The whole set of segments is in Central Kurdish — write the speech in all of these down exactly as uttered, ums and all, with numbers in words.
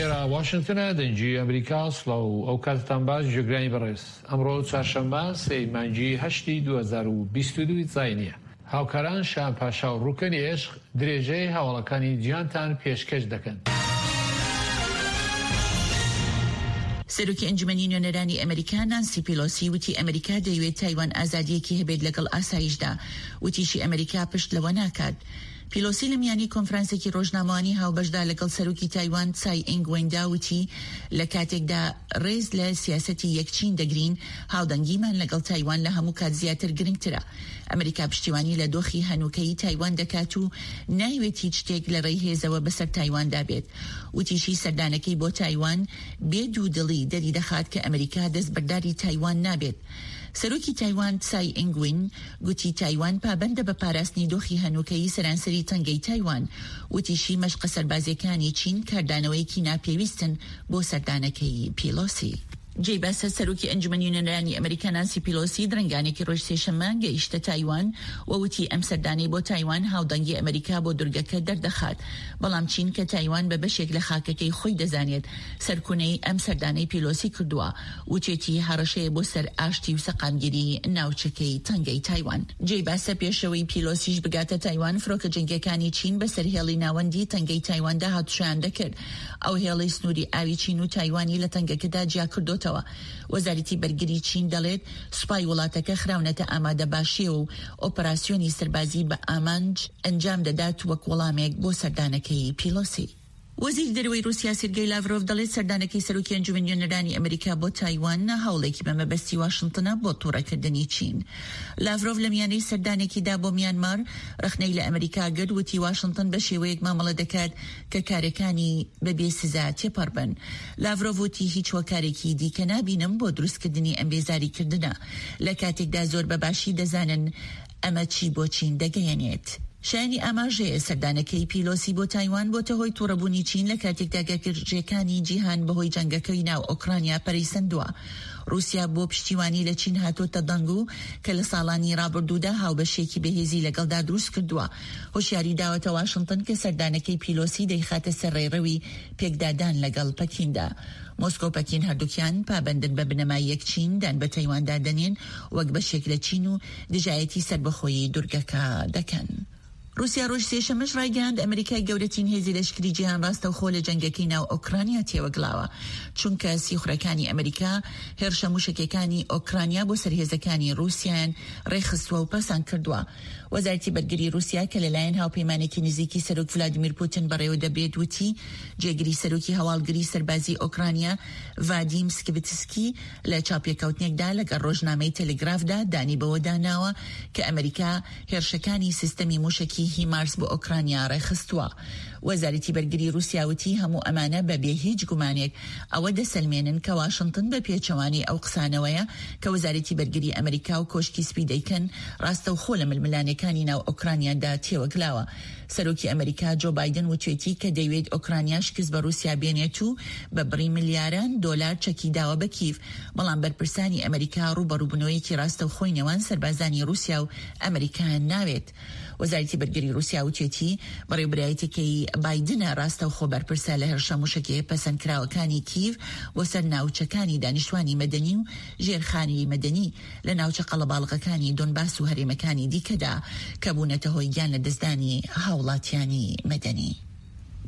ئێرە واشنگتنە، دەنگی ئەمریکا. سڵاو و ئەو کاتتان باش جێگرانی بەڕێز. ئەمڕۆ چوارشەممە سێی مانگی هەشتی دوو هەزار و بیست و دوو زاینییە. هاوکاران شان پاشا و ڕوکەنی عێشق درێژەی هەواڵەکانی جیهانتان پێشکەش دەکەن. سەرۆکی ئەنجومەنی نوێنەرانی ئەمریکا نانسی پیلۆسی وتی ئەمریکا دەیەوێت تایوان ئازادییەکی هەبێت لەگەڵ ئاسایشدا، وتیشی ئەمریکا پشت لەوە ناکات. پیلۆسی لە میانی کۆنفرانسێکی ڕۆژنامەوانی هاوبەشدا لەگەڵ سەرۆکی تایوان تسای ئینگ وێندا وتی لە کاتێکدا ڕێز لە سیاسەتی یەک چین دەگرین، هاودەنگیمان لەگەڵ تایوان لە هەموو کات زیاتر گرنگترە. ئەمریکا پشتیوانی لە دۆخی هەنووکەیی تایوان دەکات و نایەوێت هیچ شتێک لە ڕێی هێزەوە بەسەر تایواندا بێت. وتیشی سەردانەکەی بۆ تایوان بێ دوودڵی دەریدەخات کە ئەمریکا دەستبەرداری تایوان نابێت. سەرۆکی تایوان تسای ئینگ وین گوتی تایوان پابەندە بە پاراستنی دۆخی هەنووکەیی سەرانسەری تەنگەی تایوان. وتیشی مەشقە سەربازییەکانی چین کاردانەوەیەکی ناپێویستن بۆ سەردانەکەی پیلۆسی. جێی باسە سەرۆکی ئەنجومەنی نوێنەرانی ئەمریکا نانسی پیلۆسی درەنگانێکی ڕۆژ سێشەممە گەیشتە تایوان و وتی ئەم سەردانەی بۆ تایوان هاودەنگی ئەمریکا بۆ دورگەکە دەردەخات، بەڵام چین کە تایوان بە بەشێک لە خاکەکەی خۆی دەزانێت سەرکونەی ئەم سەردانەی پیلۆسی کردووە، وتێتی هەڕەشەیە بۆ سەر ئاشتی و سەقامگیری ناوچەکەی تەنگەی تایوان. جێی باسە پێشەوەی پیلۆسیش بگاتە تایوان فرۆکە جەنگیەکانی چین بەسەر هێڵی ناوەندی تەنگەی تایواندا هاتوچۆیان دەکرد. ئەو هێڵەی سنووری ئاوی چین و تایوانی لە تەنگەکەدا جیاکردۆتەوە. وەزارەتی بەرگری چین دەڵێت سوپای وڵاتەکە خراونەتە ئامادەباشیەوە و ئۆپەراسیۆنی سەربازی بە ئامانج ئەنجام دەدات وەک وەڵامێک بۆ سەردانەکەی پیلۆسی. وەزیری دەرەوەی رووسیا سێرگەی لاڤرۆڤ دەڵێت سەردانەکەی سەرۆکی ئەنجومەنی نوێنەرانی ئەمریکا بۆ تایوان هەوڵێکی بە مەبەستی واشنتنە بۆ توڕەکردنی چین. لاڤرۆڤ لە میانەی سەردانێکیدا بۆ میانمار ڕەخنەی لە ئەمریکا گرت، وتی واشنتن بە شێوەیەک مامەڵە دەکات کە کارەکانی بەبێ سزا تێپەڕ بن. لاڤرۆڤ وتی هیچ هۆکارێکی دیکە نابینم بۆ دروستکردنی ئەم بێزاریکردنە، لە کاتێکدا زۆر بە باشی دەزانن ئەمە چی بۆ چین دەگەیەنێت. شایانی ئاماژەیە سەردانەکەی پیلۆسی بۆ تایوان بۆتە هۆی توڕەبوونی چین لە کاتێکدا گەرجەکانی جیهان بەهۆی جەنگەکەی ناو ئۆکرانیا پەرەی سەندووە. رووسیا بۆ پشتیوانی لە چین هاتۆتە دەنگ و کە لە ساڵانی ڕابردوودا هاوبەشیەکی بەهێزی لەگەڵدا دروست کردووە. هۆشیاری داوەتە واشنتن کە سەردانەکەی پیلۆسی دەیخاتە سەر ڕێڕەوی پێکدادان لەگەڵ پەکیندا. مۆسکۆ و پەکین هەردووکیان پابەندن بە بنەمای یەک چین، دان بە تایواندا دەنێن وەک بەشێک لە چین و دژایەتی سەربەخۆیی دورگەکە دەکەن. رووسیا ڕۆژ سێشەممەش ڕایگەیاند ئەمریکای گەورەترین هێزی لەشکری جیهان ڕاستەوخۆ لە جەنگەکەی ناو ئۆکرانیا تێوەگلاوە، چونکە سیخوڕەکانی ئەمریکا هێرشە موشەکیەکانی ئۆکرانیا بۆ سەر هێزەکانی رووسیایان ڕێکخستووە و پەسەند کردووە. وەزارەتی بەرگری رووسیا کە لەلایەن هاوپەیمانێکی نزیکی سەرۆک ڤلادیمیر پوتین بەڕێوەدەبرێت وتی جێگری سەرۆکی هەواڵگری سەربازی ئۆکرانیا ڤادیم سکیبتسکی لە چاوپێکەوتنێکدا لەگەڵ ڕۆژنامەی تەلەگرافدا دانی بەوەدا ناوە کە ئەمریکا هێرشەکانی سیستەمی موشەکی هیمارس بۆ ئۆکرانیا ڕێکخستووە. وەزارەتی بەرگری رووسیا وتی هەموو ئەمانە بە بێ هیچ گومانێک ئەوە دەسەلمێنن کە واشنتن بە پێچەوانەی ئەو قسانەوەیە کە وەزارەتی بەرگری ئەمریکا و کۆشکی سپی دەیکەن ڕاستەوخۆ لە ململانێکانی ناو ئۆکرانیادا تێوەگلاوە. سەرۆکی ئەمریکا جۆ بایدن وتوێتی کە دەیوێت ئۆکرانیا شکست بە رووسیا بێنێت و بە بڕی ملیاران دۆلار چەکی داوە بە کیف، بەڵام بەرپرسانی ئەمریکا ڕووبەڕووبوونەوەیەکی ڕاستەوخۆی نێوان سەربازانی رووسیا و ئەمریکایان ناوێت. وەزارەتی بەرگری رووسیا وتوێتی بەڕێوبەرایەتیەکەی بایدنە ڕاستەوخۆ بەرپرسە لە هێرشە موشەکیە پەسەندکراوەکانی کیڤ بۆ سەر ناوچەکانی دانیشتوانی مەدەنی و ژێرخانی مەدەنی لە ناوچە قەڵەباڵغەکانی دۆنباس و هەرێمەکانی دیکەدا کە بوونەتە هۆی گیان لەدەستدانی هاوڵاتیانی مەدەنی.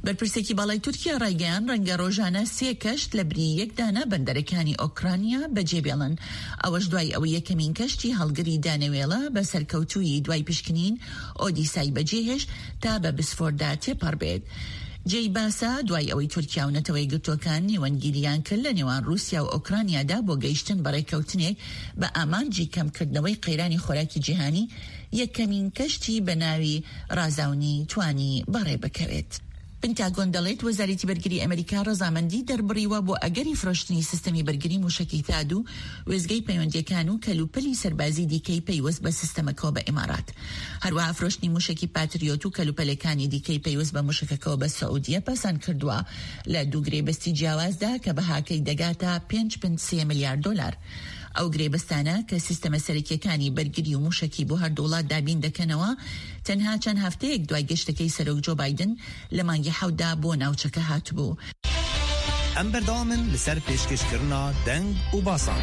بەرپرسێکی باڵای تورکیا ڕایگەیاند، ڕەنگە ڕۆژانە سێ کەشت لە بری یەک دانە بەندەرەکانی ئۆکرانیا بەجێبێڵن، ئەوەش دوای ئەوەی یەکەمین کەشتی هەڵگری دانەوێڵە بە سەرکەوتوویی دوای پشکنین ئۆدیسای بەجێهێشت تا بە بسفۆردا تێپەڕبێت. جێی باسە، دوای ئەوەی تورکیا و نەتەوە یەکگرتووەکان نێوەندگیرییان کرد لە نێوان ڕووسیا و ئۆکرانیادا بۆ گەیشتن بە ڕێککەوتنێک بە ئامانجی کەمکردنەوەی قەیرانی خۆراکی جیهانی، یەکەمین کەشتی بە ناوی ڕازاونی توانی بەڕێ بکەوێت. پنتاگۆن دەڵێت وەزارەتی بەرگری ئەمریکا ڕەزامەندی دەربڕیوە بۆ ئەگەری فرۆشتنی سیستەمی بەرگری موشەکی ثاد و وێستگەی پەیوەندییەکان و کەلوپەلی سەربازی دیکەی پەیوەست بە سیستەمەکەوە بە ئیمارات. هەروەها فرۆشتنی موشەکی پاتریۆت و کەلوپەلەکانی دیکەی پەیوەست بە موشەکەکەوە بە سعودیە پەسەند کردووە لە دوو گرێبەستی جیاوازدا کە بەهاکەی دەگاتە پێنج پنج سێ ملیار دۆلار. ئەو گرێبەستانە کە سیستەمە سەرەکییەکانی بەرگری و موشەکی بۆ هەردوو وڵات دابین دەکەنەوە، تەنها چەند هەفتەیەک دوای گەشتەکەی سەرۆک جۆ بایدن لە مانگی حەوتدا بۆ ناوچەکە هاتبوو. Em berdamin li ser pêşkêşkirina deng û basan.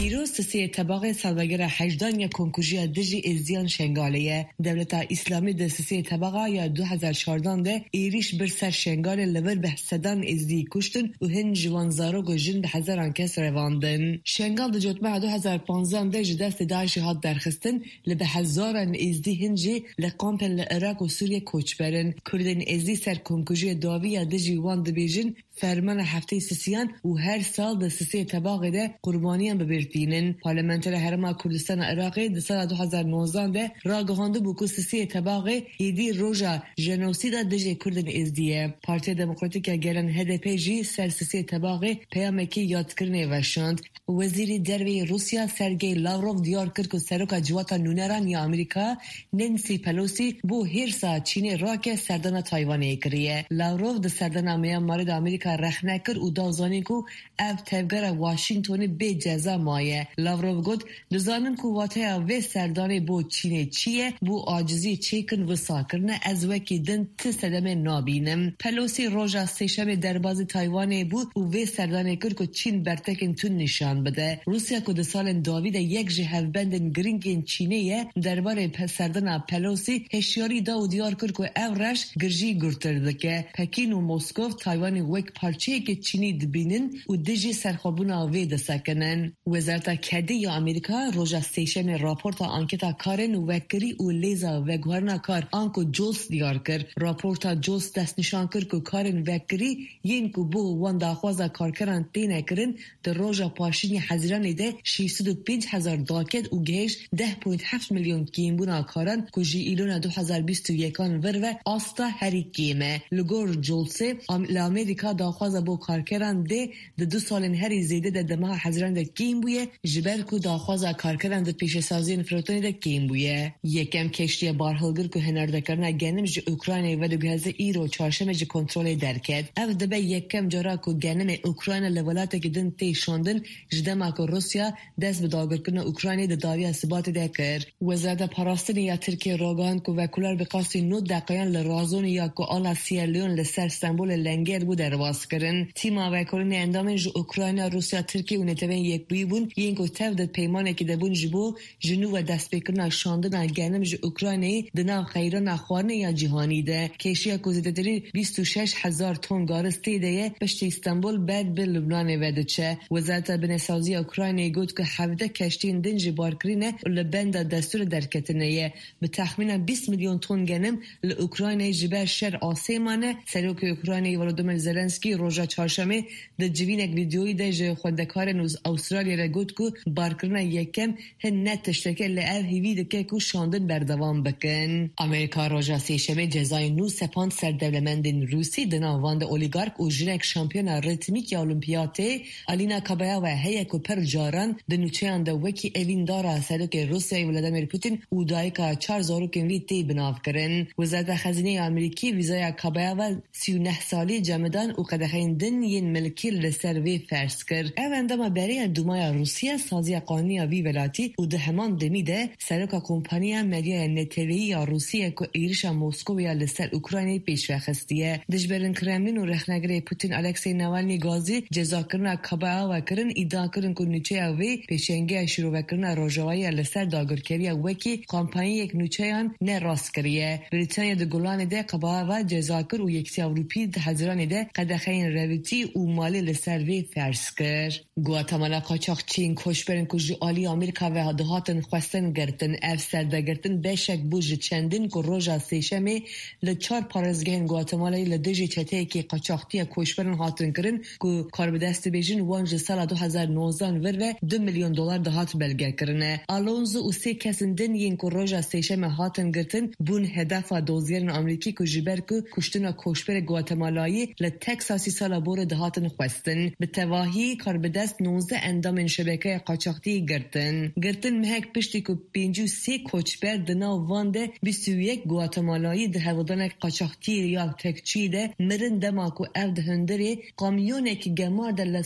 Îro sisê tebaxê salvegera hejdan ya komkujiya dijî Êzdiyan Şengalê ye. Dewleta Îslamî di sisê tebaxa ya du hezar çardan de êrîş bir ser Şengalê li vir bi sedan Êzdî kuştin û hin ji wan zarok û jin bi hezaran kes revandin. Şengal di cotmeha du hezar panzdan de ji destê DAIŞê hat derxistin, li bi hezaran Êzdî hin jî li kampên li Iraq û Sûriye koçberin. Kurdên Êzdî ser komkujiyê dawî ya dijî wan dibêjin fermana heftê sisiyan û her sal di sisê tebaxê de qurbaniyan bibir tînin. Parlamentera Herêma Kurdistana Iraqê di sala du hezar nozdan de ragihandibû ku sisê tebaxê êdî roja jenosîda dijê Kurdên Êzdî ye. Partiya Demokratîk ya Gelan H D P jî ser sisê tebaxê peyamekî yadkirinê veşand. Wezîrê Derveyê Rûsya Sergey Lavrov diyar kir ku Seroka Civata Nûneran ya Amerîka Nancy Pelosi bo hêrsa Çînê rake serdana Taywanê kiriye. Lavrov di serdana Myanmarê de Amerîka rexne kir û da zanîn ku ev tevgera Washingtonê bê ceza maye. Lavrov got, dizanin ku wateya vê serdanê bo Çînê çi ye, bo acizî çêkin wisa kirine, ez wekî din ti sedemê nabînim. Pelosi roja sêşemê derbazî Taywanê bû û vê serdanê kir ku Çîn bertekên tund nîşan bide. Rûsya ku di salên dawî de yek ji hevbendên giringên Çînê ye, derbarê serdana Pelosi hişyarî da û diyar kir ku ev reş girjî gurtir dike. Pekîn û Moskov Taywanê wek parçeyeke Çînî dibînin û dijî serxwebûna vê disekinin. Wezareta Kedê ya Amerîka roja sêşemê raporta anketa karên vekirî û lêza veguherina kar anku JOLTS diyar kir. Raporta JOLTS destnîşan kir ku karên vekirî yên ku bo wan daxwaza karkeran têne kirin di roja paşînê Hezîranê de şeş sed û pênc hezar daket û gihêşt deh point heft milyon kêmbûna karan ku ji îlona du hezar bîst û yekan vir ve asta herî kêm e. Li gor JOLTSê li Amerîka daxwaza bo karkeran dê di du salên herî zêde de di meha Hezîranê de kêm bûye, ji ber ku daxwaza karkeran di pêşesaziyên firotinê de kêm bûye. Yekem keştiya barhilgir ku hinardekirina genim ji Ukraynayê vediguheze îro çarşemê ji kontrolê derket. Ev dibe yekem cara ku genimê Ukrayna li welatekî din tê şandin ji dema ku Rûsya dest bi dagirkirina Ukraynayê di dawiya Sibatê de kir. Wezareta Parastinê ya Tirkiyê ragihand ku vekuler bi qasî nod deqeyan li Razonê ya ku ala Sierra Leone li ser Stenbolê lenger bû derbas kirin. Tîma vekolînê endamên ji Ukrayna, Rûsya, Tirkiye û Neteweyên Yekbûyî bûn yên ku tev di peymanekê de bûn ji bo ji nû ve destpêkirina şandina genim ji Ukraynayê di nav qeyrana xwarinê ya cîhanî de. Kêşiya ku zêdetirî bîst û şeş hezar ton garis tê de ye, piştî Stenbol ber bi Lubnanê ve diçe. Wezareta Binesaziya Ukraynayê got ku hevdeh keştiyên din ji barkirîne û li benda destûrê derketine ye. Bi texmîna bîst milyon ton genim li Ukraynayê ji ber şer asê mane. Serokê Ukraynayê Volodymyr Zelenskiy roja çarşemê di civînek vîdeoyî de ji xwendekarên Avustralyayê re got ku barkirina yekem hin ne tişteke li ev hêvî dike ku şandin berdewam bikin. Amerîka roja sêşemê cezayên nû sepand ser dewlemendên Rûsî di nav wan de olîgark û jinek şampiyona ritmîk ya Olimpiyatê Alina Kabayeva heye ku pir caran di nûçeyan de wekî evîndara Serokê Rûsyayê Vladimir Putin û dayika çar zarokên wî tê binavkirin. Wezareta Xezîneyê ya Amerîkî vîzaya Kabayeva sî û neh salî cemidan û qedexeyên din yên milkî li ser vê ferz kir. Ev endama berê Dumaya Rûsya saziya qanûnî ya vî welatî û di heman demî de seroka kompaniya medyaya neteweyî ya Rûsiyê ku êrişa Moskowê ya li ser Ukraynayê pêş ve xistiye. Dijberên Kremlin û rexnegirê Putin Alexei Navalny gazî cezakirina Kabayeva kirin, îdia kirin ku nûçeya wê pêşengiya şîrovekirina rojavayê ya li ser dagirkeriya wekî kampanyayek nûçeyan ne rast kiriye. Brîtanya di Golanê de Kabayeva ceza kir û Yekîtiya Ewropî di Hezîranê de qedexeyên revîtî û malê li ser vê ferz kir. Guatemala qaçaxçiyên koçberên ku ji aliyê Amerîka ve dihatin xwestin girtin. Ev serdegirtin beşek bû ji çendin ku roja sêşemê li çar parêzgehên Guatemalayê li dijî çeteyekê qaçaxtiya koçberan hatin kirin ku karbidest dibêjin wan ji sala du hezar nozdan vir ve du milyon dolar dihat belgekirine. Alonso û sê kesên din yên ku roja sêşemê hatin girtin bûn hedefa dozgerên Amerîkî ku ji ber ku kuştina koçberê Guatemalayê li Teksasê sala borê dihatin xwestin. Bi tevahî karbidest nozdeh endamên şebekeya qaçaxtiyê girtin. Girtin mehek piştî ku pêncî û sê koçber di nav wan de bîst û yek Guatemalayî di hevdanek qaçaxtiyê ya tekçî de mirin dema ku ev di hundirê kamyonekî gemar de li